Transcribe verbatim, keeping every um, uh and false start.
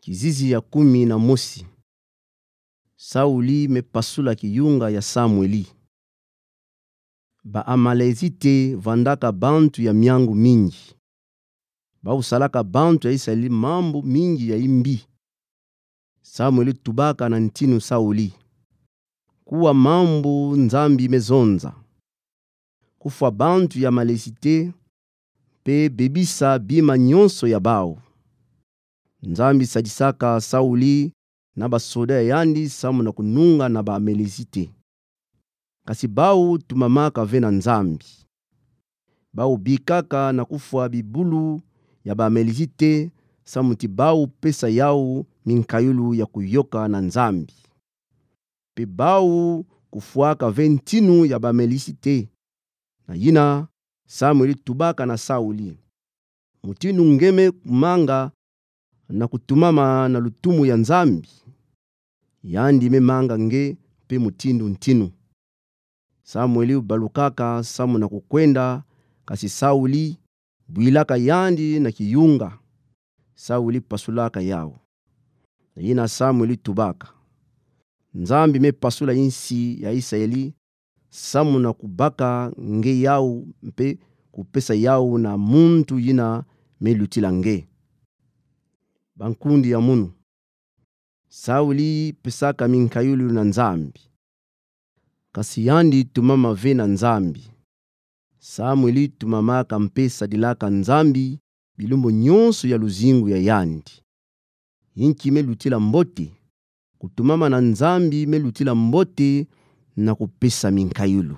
Kizizi ya kumi na mosi. Sauli me pasula kiyunga ya Samueli. Ba-Amalezite vwandaka bantu ya miangu mingi. Bau salaka bantu ya Israeli mambu mingi ya imbi. Samueli tubaka na ntinu Sauli: Kuwa mambu Nzambi me zonza: kufwa bantu ya Amalezite, mpe bebisa bima nyonso ya bau. Nzambi sadisaka Sauli na basoda ya yandi samu na kununga na ba-Amalezite. Kasi bau tumamaka ve na Nzambi. Bau bikaka na kufwa bibulu ya ba-Amalezite, samu ti bau pesa yau minkayulu ya kuyoka na Nzambi. Mpe bau kufwaka ve ntinu ya ba-Amalezite. Na yina, Samueli tubaka na Sauli: Mutinu nge me kumanga na kutumama na lutumu ya Nzambi? Yandi me manga nge mpe mutinu ntinu. Samueli ubalukaka samu na kukwenda, kasi Sauli bwilaka yandi na kiyunga. Sauli pasulaka yau. Na yina Samueli tubaka: Nzambi me pasula insi ya Israeli samu na kubaka nge yau mpe kupesa yau na muntu yina me lutila nge. Bankundi ya munu. Sauli pesaka minkayulu na Nzambi. Kasi yandi tumama ve na Nzambi. Samueli tumamaka mpe sadilaka Nzambi bilumbu nyonso ya luzingu ya yandi. Inki me lutila mbote? Kutumama na Nzambi me lutila mbote na kupesa minkayulu.